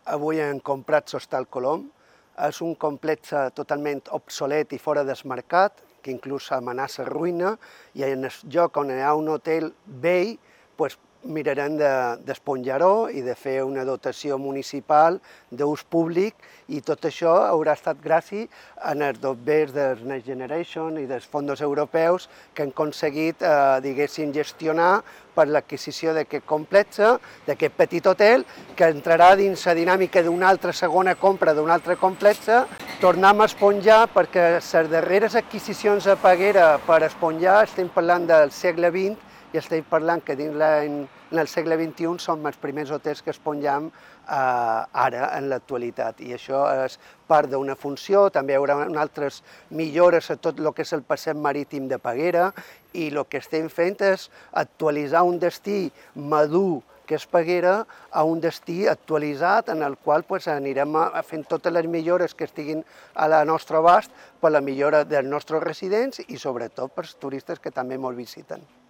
avui hem comprat l'Hostal Colom. És un complex totalment obsolet i fora del mercat, que inclús amenaça ruïna, i en el lloc on hi ha un hotel vell, mirarem d'esponjar-ho i de fer una dotació municipal d'ús públic, i tot això haurà estat gràcies als dobbers del Next Generation i dels fons europeus que han aconseguit, gestionar per l'adquisició d'aquest complex, d'aquest petit hotel, que entrarà dins la dinàmica d'una altra segona compra d'un altre complex. Tornem a esponjar perquè les darreres adquisicions a Peguera per esponjar estem parlant del segle XX, i estem parlant que dins el segle XXI som els primers hotels que esponjam ara, en l'actualitat. I això és part d'una funció. També hi haurà altres millores a tot el que és el passeig marítim de Peguera, i el que estem fent és actualitzar un destí madur que és Peguera a un destí actualitzat en el qual anirem fent totes les millores que estiguin a la nostra abast per la millora dels nostres residents i sobretot pels turistes que també molt visiten.